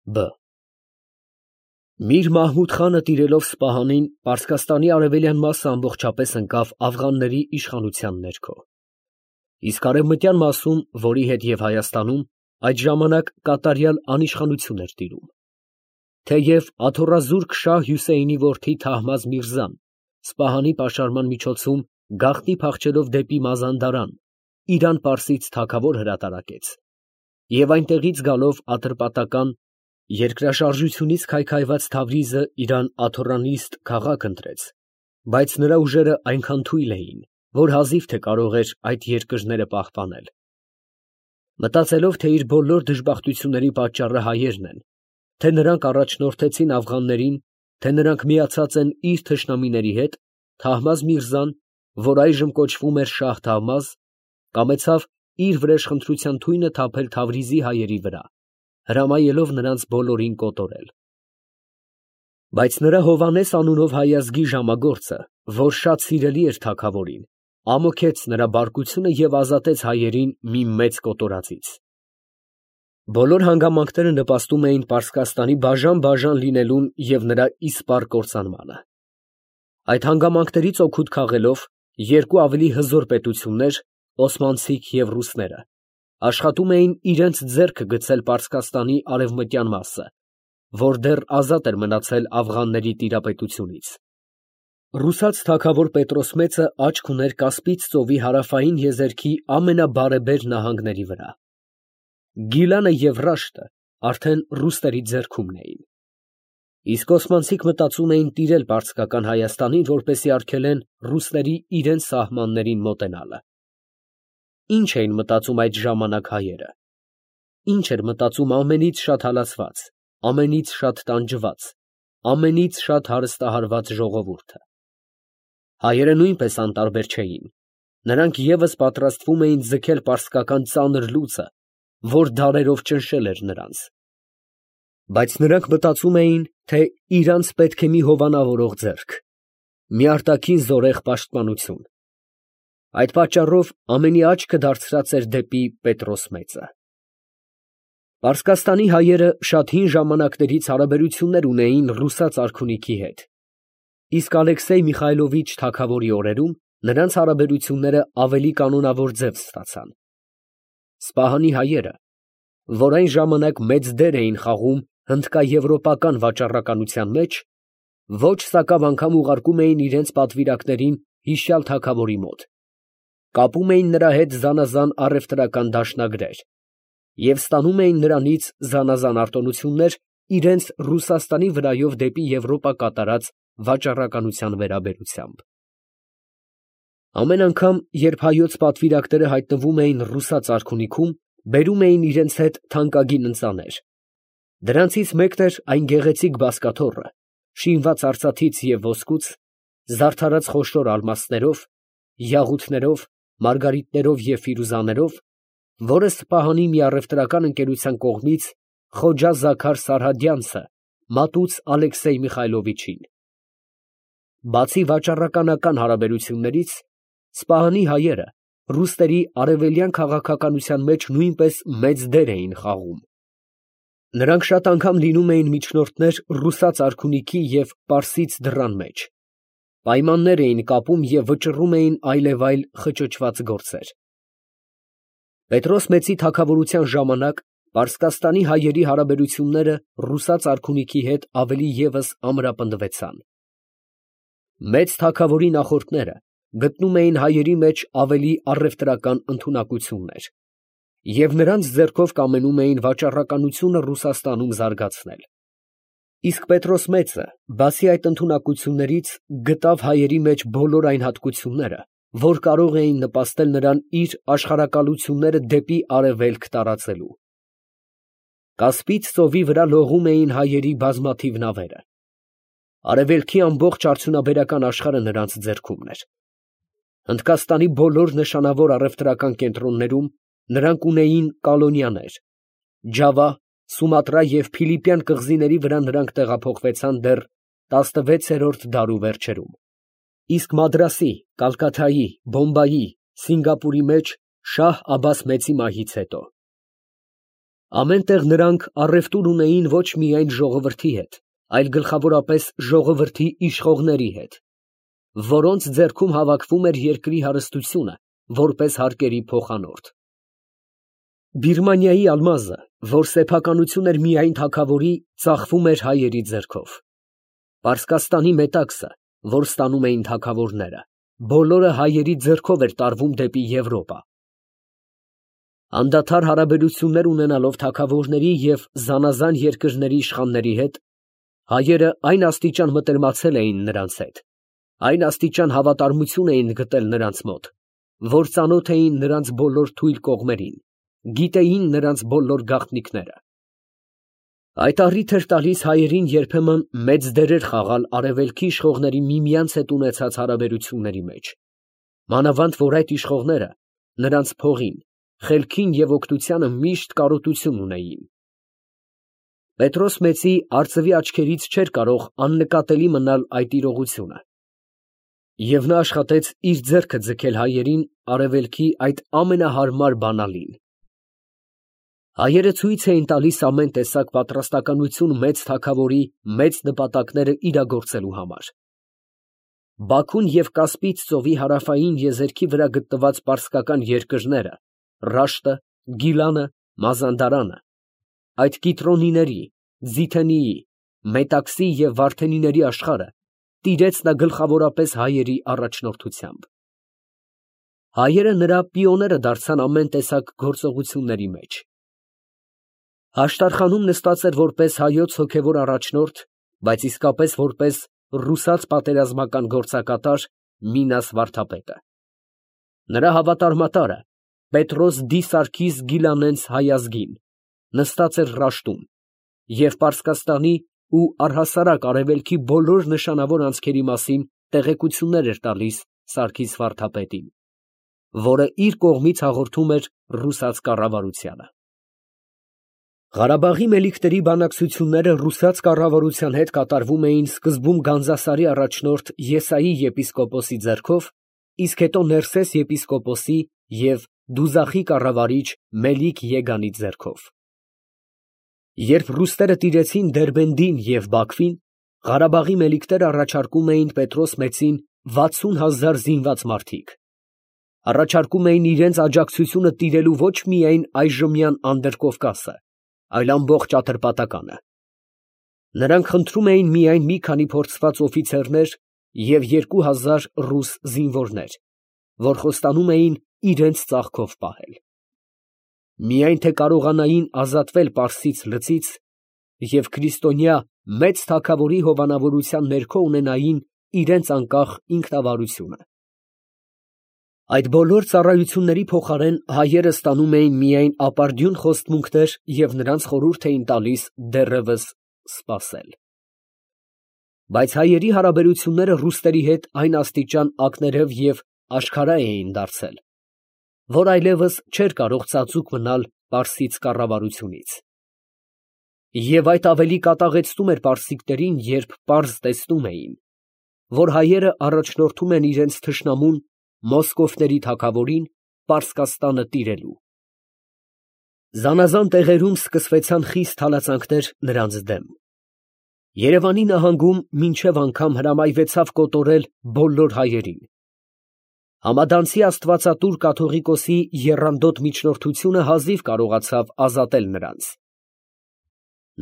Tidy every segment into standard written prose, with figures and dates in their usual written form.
Բ. Միր Մահմուդ խանը տիրելով Սպահանին, Պարսկաստանի արևելյան մասը ամբողջապես ընկավ աֆղանների իշխանության ներքո, իսկ արևմտյան մասում, որի հետ և Հայաստանում, այդ ժամանակ կատարյալ անիշխանություն էր տիրում. թեև աթոռազուրկ շահ Հյուսեյնի որդի Թահմազ Միրզան Սպահանի պաշարման միջոցում գաղտնի փախչելով դեպի Մազանդարան, Իրան֊Պարսից թագավոր հրատարակեց և այնտեղից գալով ատրպատական երկրաշարժությունից քայքայված Թավրիզը իրան աթոռանիստ քաղաք ընտրեց, բայց նրա ուժերը այնքան թույլ էին, որ հազիվ թե կարող էր այդ երկրները պահպանել։ Մտածելով, թե իր բոլոր դժբախտությունների պատճառը հայերն են, թե նրանք առաջնորդեցին աֆղաններին, թե նրանք միացած են իր թշնամիների հետ, Թահմազ Միրզան, որ այժմ կոչվում էր Շահ Թահմազ, կամեցավ իր վրեժխնդրության թույնը թափել Թավրիզի հայերի վրա, հրամայելով նրանց բոլորին կոտորել։ Բայց նրա Հովհաննես անունով հայազգի ժամագործը, որ շատ սիրելի էր թագավորին, ամոքեց նրա բարկությունը և ազատեց հայերին մի մեծ կոտորածից։ Բոլոր հանգամանքները նպաստում էին Պարսկաստանի բաժան լինելուն և նրա իսպառ կործանմանը։ Այդ հանգամանքներից օգուտ քաղելով, երկու ավելի հզոր պետություններ, օսմանցիք և ռուսները, աշխատում էին իրենց ձեռքը գցել Պարսկաստանի արևմտյան մասը, որ դեռ ազատ էր մնացել աֆղանների տիրապետությունից։ Ռուսաց թագավոր Պետրոս Մեծը աչք ուներ Կասպից ծովի հարավային եզերքի ամենաբարեբեր նահանգների վրա։ Գիլանը և Ռաշտը արդեն ռուսների ձեռքումն էին։ Իսկ օսմանցիք մտածում էին տիրել պարսկական Հայաստանին, որպեսզի արգելեն ռուսների իրենց սահմաններին մոտենալը։ Ինչ էին մտածում այդ ժամանակ հայերը։ Ինչ էր մտածում ամենից շատ հալածված, ամենից շատ տանջված, ամենից շատ հարստահարված ժողովուրդը։ Հայերը նույնպես անտարբեր չէին. նրանք ևս պատրաստվում էին ձգել պարսկական ծանր լուծը, որ դարերով ճնշել էր նրանց։ Բայց նրանք մտածում էին, թե իրանց պետք է մի հովանավորող ձեռք, մի արտաքին զորեղ պաշտպանություն։ Այդ պատճառով ամենի աչքը դարձրած էր դեպի Պետրոս Մեծը։ Պարսկաստանի հայերը շատ հին ժամանակներից հարաբերություններ ունեին ռուսաց արքունիքի հետ, իսկ Ալեքսեյ Միխայլովիչ թագավորի օրերում նրանց հարաբերությունները ավելի կանոնավոր ձև ստացան։ Սպահանի հայերը, որ այն ժամանակ մեծ դեր էին խաղում հնդկաեվրոպական վաճառականության մեջ, ոչ սակավ անգամ ուղարկում էին իրենց պատվիրակներին հիշյալ թագավորի մոտ, կապում էին նրա հետ զանազան առևտրական դաշնագրեր և ստանում էին նրանից զանազան արտոնություններ իրենց Ռուսաստանի վրայով դեպի Եվրոպա կատարած վաճառականության վերաբերությամբ։ Ամեն անգամ, երբ հայոց պատվիրակները հայտնվում էին ռուսաց արքունիքում, բերում էին իրենց հետ թանկագին ընծաներ։ Դրանցից մեկն էր այն գեղեցիկ բազկաթոռը, շինված արծաթից և ոսկուց, զարդարած խոշոր ալմաստներով, յաղութներով, մարգարիտներով և ֆիրուզաներով, որը Սպահանի մի առևտրական ընկերության կողմից Խոջա Զաքար Սարհադյանցը մատուց Ալեքսեյ Միխայլովիչին։ Բացի վաճառականական հարաբերություններից, Սպահանի հայերը ռուսների արևելյան քաղաքականության մեջ նույնպես մեծ դեր էին խաղում։ Նրանք շատ անգամ լինում էին միջնորդներ ռուսաց արքունիքի և պարսից դռան մեջ, պայմաններ էին կապում և վճռում էին այլևայլ խճճված գործեր։ Պետրոս Մեծի թագավորության ժամանակ Պարսկաստանի հայերի հարաբերությունները ռուսաց արքունիքի հետ ավելի ևս ամրապնդվեցան։ Մեծ թագավորի նախորդները գտնում էին հայերի մեջ ավելի առևտրական ընդունակություններ և նրանց ձեռքով կամենում էին վաճառականությունը Ռուսաստանում զարգացնել։ Իսկ Պետրոս Մեծը, բացի այդ ընդունակություններից, գտավ հայերի մեջ բոլոր այն հատկությունները, որ կարող էին նպաստել նրան իր աշխարհակալությունները դեպի արևելք տարածելու։ Կասպից ծովի վրա լողում էին հայերի բազմաթիվ նավերը։ Արևելքի ամբողջ արդյունաբերական աշխարհը նրանց ձեռքումն էր։ Հնդկաստանի բոլոր նշանավոր առևտրական կենտրոններում նրանք ունեին կալոնյաներ։ Ջավա, Սումատրա և Փիլիպյան կղզիների վրա նրանք տեղափոխվեցան դեռ 16-րդ դարու վերջերում, իսկ Մադրասի, Կալկաթայի, Բոմբայի, Սինգապուրի մեջ Շահ Աբբաս Մեծի մահից հետո։ Ամեն տեղ նրանք առևտուր ունեին ոչ միայն ժողովրդի հետ, այլ գլխավորապես ժողովրդի իշխողների հետ, որոնց ձեռքում հավաքվում էր երկրի հարստությունը որպես հարկերի փոխանորդ։ Բիրմանիայի ալմազը, որ սեփականություն էր միայն թագավորի, ծախվում էր հայերի ձեռքով։ Պարսկաստանի մետաքսը, որ ստանում էին թագավորները, բոլորը հայերի ձեռքով էր տարվում դեպի Եվրոպա։ Անդադար հարաբերություններ ունենալով թագավորների և զանազան երկրների իշխանների հետ, հայերը այն աստիճան մտերմացել էին նրանց հետ, այն աստիճան հավատարմություն էին գտել նրանց մոտ, որ ծանոթ էին նրանց բոլոր թույլ կողմերին, գիտեին նրանց բոլոր գաղտնիքները։ Այդ առիթ էր տալիս հայերին երբեմն մեծ դերեր խաղալ արևելքի իշխողների միմյանց հետ ունեցած հարաբերությունների մեջ, մանավանդ որ այդ իշխողները նրանց փողին, խելքին և օգնությանը միշտ կարոտություն ունեին։ Պետրոս մեծի արծվի աչքերից չէր կարող աննկատելի մնալ այդ իրողությունը, և նա աշխատեց իր ձեռքը ձգել հայերին արևելքի այդ ամենահարմար բանալին։ Հայերը ցույց էին տալիս ամեն տեսակ պատրաստականություն մեծ թագավորի մեծ նպատակները իրագործելու համար։ Բաքուն և Կասպից ծովի հարավային եզերքի վրա գտնված պարսկական երկրները, Ռաշտը, Գիլանը, Մազանդարանը, այդ Կիտրոնիների, Ձիթենիի, Մետաքսի և Վարդենիների աշխարհը տիրեց նա գլխավորապես հայերի առաջնորդությամբ։ Հայերը նրա պիոները դարձան ամեն տեսակ գործողությունների մեջ։ Հաշտարխանում նստած էր որպես հայոց հոգևոր առաջնորդ, բայց իսկապես որպես ռուսաց պատերազմական գործակատար Մինաս վարդապետը։ Նրա հավատարմատարը Պետրոս Դի Սարգիս Գիլանենց հայազգին նստած էր Ռաշտում և Պարսկաստանի ու առհասարակ արևելքի բոլոր նշանավոր անցքերի մասին տեղեկություններ էր տալիս Սարգիս վարդապետին, որը իր կողմից հաղորդում էր ռուսաց կառավարությանը։ Ղարաբաղի մելիքների բանակցությունները ռուսաց կառավարության հետ կատարվում էին սկզբում Գանձասարի առաջնորդ Եսայի եպիսկոպոսի ձեռքով, իսկ հետո Ներսես եպիսկոպոսի և Դուզախի կառավարիչ Մելիք Եգանի ձեռքով։ Երբ ռուսները տիրեցին Դերբենդին և Բաքվին, Ղարաբաղի մելիքները առաջարկում էին Պետրոս մեծին 60,000 զինված մարդիկ։ Առաջարկում էին իրենց աջակցությունը տիրելու ոչ միայն այժմյան Անդրկովկասը, այլ ամբողջ Ատրպատականը։ Նրանք խնդրում էին միայն մի քանի փորձված օֆիցերներ և 2000 ռուս զինվորներ, որ խոստանում էին իրենց ծաղկով պահել։ Միայն թե կարողանային ազատվել Պարսից լծից և քրիստոնյա մեծ թագավորի հովանավորության ներքո ունենային իրենց անկախ ինքնավարությունը։ Այդ բոլոր ծառայությունների փոխարեն հայերը ստանում էին միայն ապարդյուն խոստմունքներ և նրանց խորհուրդ էին տալիս դեռևս սպասել։ Բայց հայերի հարաբերությունները ռուսների հետ այն աստիճան ակներև և աշխարհայ էին դարձել, որ այլևս չէր կարող ծածուկ մնալ պարսից կառավարությունից։ Եվ այդ ավելի կատաղեցնում էր պարսիկներին, երբ պարզ տեսնում էին, որ հայերը առաջնորդում են իրենց թշնամուն մոսկովների թագավորին Պարսկաստանը տիրելու։ Զանազան տեղերում սկսվեցան խիստ հալածանքներ նրանց դեմ։ Երևանի նահանգում մինչև անգամ հրամայվեցավ կոտորել բոլոր հայերին։ Համադանցի աստվածատուր կաթողիկոսի եռանդոտ միջնորդությունը հազիվ կարողացավ ազատել նրանց։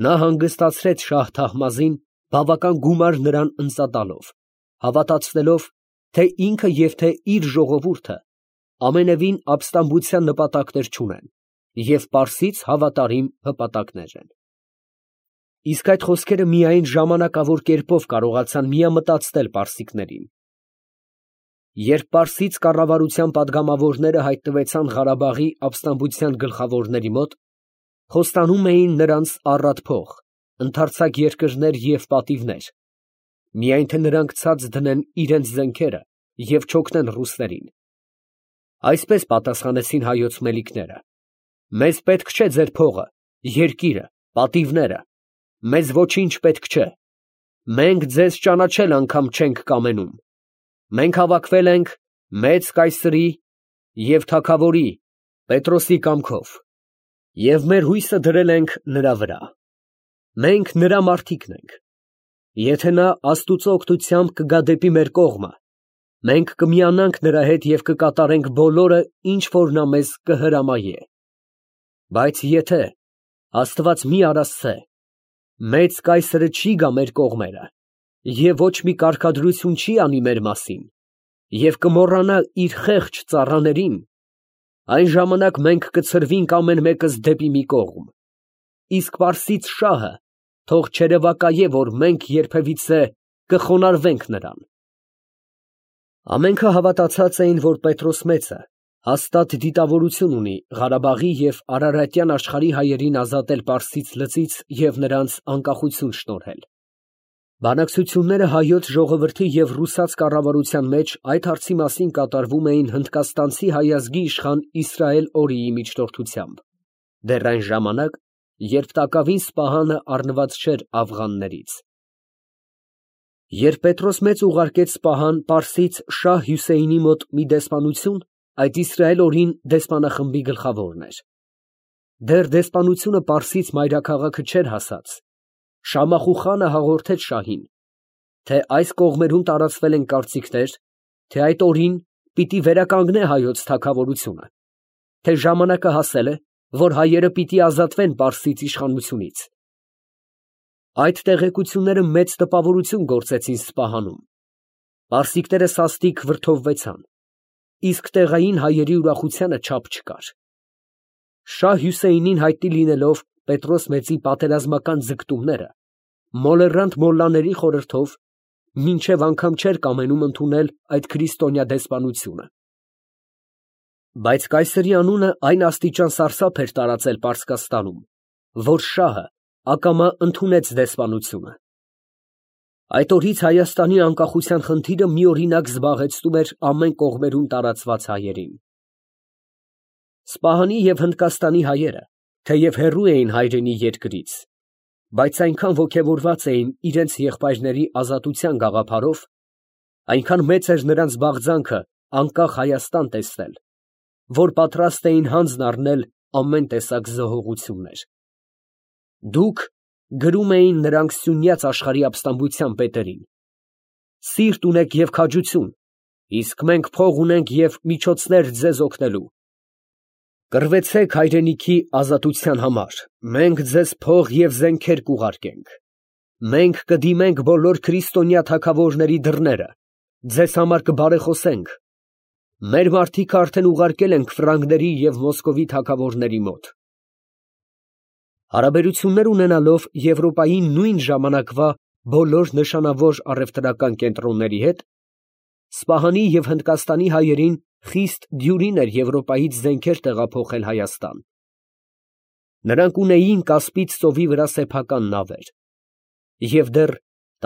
Նա հանգստացրեց շահ Թահմազին բավական գումար նրան ընծատալով, հավատացնելով, թե ինքը և թե իր ժողովուրդը ամենևին ապստամբության նպատակներ չունեն և պարսից հավատարիմ հպատակներ են։ Իսկ այդ խոսքերը միայն ժամանակավոր կերպով կարողացան միամտածնել պարսիկներին։ Երբ պարսից կառավարության պատգամավորները հայտնվեցան Ղարաբաղի ապստամբության գլխավորների մոտ, խոստանում էին նրանց առատ փող, ընդարձակ երկրներ և պատիվներ, միայն թե նրանք ցած դնեն իրենց զենքերը և չօգնեն ռուսներին։ Այսպես պատասխանեցին հայոց մելիքները. «Մեզ պետք չէ ձեր փողը, երկիրը, պատիվները, մեզ ոչինչ պետք չէ, մենք ձեզ ճանաչել անգամ չենք կամենում, մենք հավաքվել ենք մեծ կայսրի և թագավորի Պետրոսի կամքով, Եվ մեր հույսը դրել ենք նրա վրա։ Մենք նրա մարդիկն ենք։ Եթե նա Աստուծո օգնությամբ կգա դեպի մեր կողմը, մենք կմիանանք նրա հետ և կկատարենք բոլորը, ինչ որ նա մեզ կհրամայե։ Բայց եթե Աստված մի արասցե, մեծ կայսրը չի գա մեր կողմերը և ոչ մի կարգադրություն չի անի մեր մասին և կմոռանա իր խեղճ ծառաներին, այն ժամանակ մենք կցրվենք ամեն մեկս դեպի մի կողմ, իսկ Պարսից շահը թող չերևակայե, որ մենք երբևիցե կխոնարհվենք նրան։ Ամենքը հավատացած էին, որ Պետրոս մեծը հաստատ դիտավորություն ունի Ղարաբաղի և Արարատյան աշխարհի հայերին ազատել Պարսից լծից և նրանց անկախություն շնորհել։ Բանակցությունները հայոց ժողովրդի և ռուսաց կառավարության մեջ այդ հարցի մասին կատարվում էին հնդկաստանցի հայ ազգի իշխան Իսրայել Օրիի միջնորդությամբ, դեռ այն ժամանակ, երբ Տակավին Սպահանը առնված չէր աֆղաններից։ Երբ Պետրոս մեծ ուղարկեց Սպահան Պարսից շահ Հյուսեյնի մոտ մի դեսպանություն, այդ Իսրայել Օրին դեսպանախմբի գլխավորն էր։ Դեռ դեսպանությունը Պարսից մայրաքաղաքը չէր հասած, Շամախու խանը հաղորդեց շահին, թե այս կողմերում տարածվել են կարծիքներ, թե այդ օրին պիտի վերականգնե հայոց թագավորությունը, թե ժամանակը հասել է, որ հայերը պիտի ազատվեն Պարսից իշխանությունից։ Այդ տեղեկությունները մեծ տպավորություն գործեցին Սպահանում։ Պարսիկները սաստիկ վրդովվեցան, իսկ տեղային հայերի ուրախությանը չափ չկար։ Շահ Հյուսեյնին հայտնի լինելով Պետրոս մեծի պատերազմական ձգտումները, մոլեռանդ մոլլաների խորհրդով մինչև անգամ չէր կամենում ընդունել այդ քրիստոնյա դեսպանությունը։ Բայց կայսրի անունը այն աստիճան սարսափ էր տարածել Պարսկաստանում, որ շահը ակամա ընդունեց դեսպանությունը։ Այդ օրից Հայաստանի անկախության խնդիրը միօրինակ զբաղեցնում էր ամեն կողմերում տարածված հայերին։ Սպահանի և Հնդկաստանի հայերը, թեև հեռու էին հայրենի երկրից, բայց այնքան ոգևորված էին իրենց եղբայրների ազատության գաղափարով, այնքան մեծ էր նրանց բաղձանքը անկախ Հայաստան տեսնել, որ պատրաստ էին հանձն առնել ամեն տեսակ զոհողություններ։ Դուք, գրում էին նրանք Սյունյաց աշխարհի ապստամբության պետերին, սիրտ ունեք և քաջություն, իսկ մենք փող ունենք և միջոցներ ձեզ օգնելու։ Կռվեցեք հայրենիքի ազատության համար, մենք ձեզ փող և զենքեր կուղարկենք։ Մենք կդիմենք բոլոր քրիստոնյա թագավորների դռները, ձեզ համար կբարեխոսենք։ Մեր մարդիկ արդեն ուղարկել ենք ֆրանկների և Մոսկովի թագավորների մոտ։ Հարաբերություններ ունենալով Եվրոպայի նույն ժամանակվա բոլոր նշանավոր առևտրական կենտրոնների հետ, Սպահանի և Հնդկաստանի հայերին խիստ դյուրին էր Եվրոպայից զենքեր տեղափոխել Հայաստան։ Նրանք ունեին Կասպից ծովի վրա սեփական նավեր և դեռ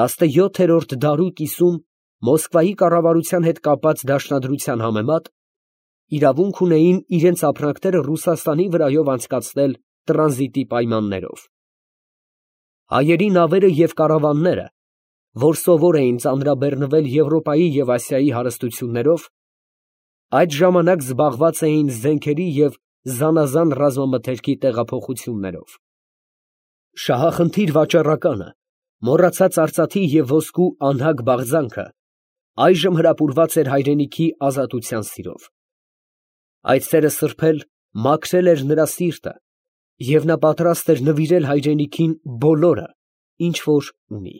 17-րդ դարու կիսում Մոսկվայի կառավարության հետ կապած դաշնադրության համեմատ իրավունք ունեին իրենց ապրանքները Ռուսաստանի վրայով անցկացնել տրանզիտի պայմաններով։ Հայերի նավերը և կարավանները, որ սովոր էին ծանրաբեռնվել Եվրոպայի և Ասիայի հարստություններով, այդ ժամանակ զբաղված էին զենքերի և զանազան ռազմամթերքի տեղափոխություններով։ Շահախնդիր վաճառականը, մոռացած արծաթի և ոսկու անհագ բաղձանքը, այժմ հրապուրված էր հայրենիքի ազատության սիրով։ Այդ սերը սրբել, մաքրել էր նրա սիրտը, և նա պատրաստ էր նվիրել հայրենիքին բոլորը, ինչ որ ունի։